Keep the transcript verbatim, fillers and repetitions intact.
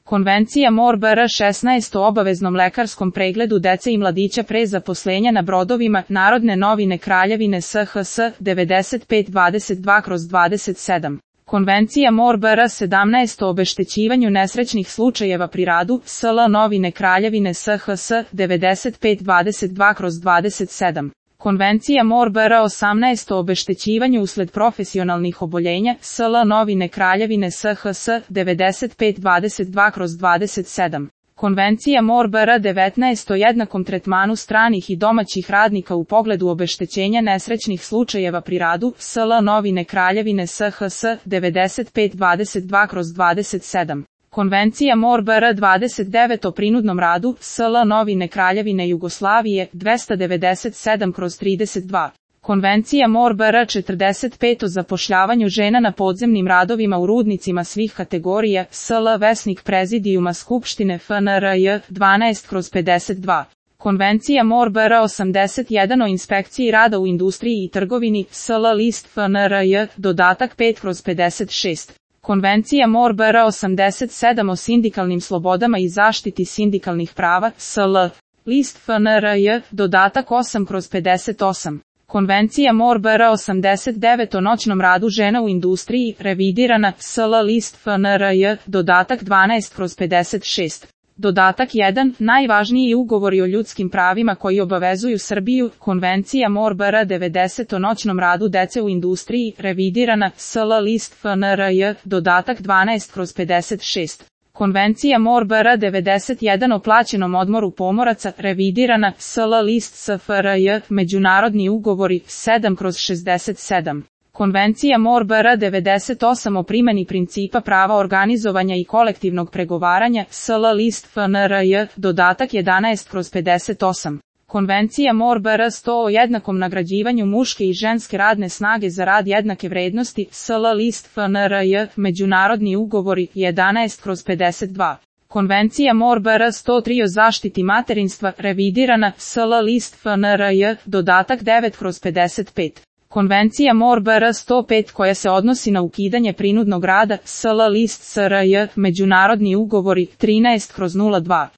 Konvencija M O R B R šesnaest o obaveznom lekarskom pregledu dece i mladića pre zaposlenja na brodovima, Narodne novine Kraljevine S H S devedeset pet dvadeset dva kroz dvadeset sedam. Konvencija M O R B R sedamnaest o obeštećivanju nesrećnih slučajeva pri radu, S L novine Kraljevine S H S devedeset pet dvadeset dva kroz dvadeset sedam. Konvencija M O R B R osamnaest o obeštećivanju usled profesionalnih oboljenja, S L novine Kraljevine S H S devedeset pet dvadeset dva kroz dvadeset sedam. Konvencija M O R B R devetnaest o jednakom tretmanu stranih i domaćih radnika u pogledu obeštećenja nesrećnih slučajeva pri radu, S L novine Kraljevine S H S devedeset pet dvadeset dva kroz dvadeset sedam. Konvencija M O R B R dvadeset devet o prinudnom radu, S L novine Kraljevine Jugoslavije dvesta devedeset sedam kroz trideset dva. Konvencija M O R B R četrdeset pet o zapošljavanju žena na podzemnim radovima u rudnicima svih kategorija, S L Vesnik Prezidijuma Skupštine F N R J dvanaest kroz pedeset dva. Konvencija M O R B R osamdeset jedan o inspekciji rada u industriji i trgovini, S L list F N R J, dodatak pet kroz pedeset šest. Konvencija M O R B R osamdeset sedam o sindikalnim slobodama i zaštiti sindikalnih prava, S L list F N R J, dodatak osam kroz pedeset osam. Konvencija M O R B R osamdeset devet o noćnom radu žena u industriji, revidirana, S L list F N R J, dodatak dvanaest kroz pedeset šest. Dodatak jedan, najvažniji ugovori o ljudskim pravima koji obavezuju Srbiju, Konvencija M O R B R devedeset o noćnom radu dece u industriji, revidirana, S L list F N R J, dodatak dvanaest kroz pedeset šest. Konvencija M O R B R devedeset jedan o plaćenom odmoru pomoraca, revidirana, S L list S F R J, međunarodni ugovori, sedam kroz šezdeset sedam. Konvencija M O R B R devedeset osam o primjeni principa prava organizovanja i kolektivnog pregovaranja, S L list F N R J, dodatak jedanaest kroz pedeset osam. Konvencija M O R B R sto o jednakom nagrađivanju muške i ženske radne snage za rad jednake vrednosti, S L list F N R J, međunarodni ugovori, jedanaest kroz pedeset dva. Konvencija M O R B R sto tri o zaštiti materinstva, revidirana, S L list F N R J, dodatak devet kroz pedeset pet. Konvencija M O R B R sto pet koja se odnosi na ukidanje prinudnog rada, S L list S R J, međunarodni ugovori, trinaest kroz nula dva.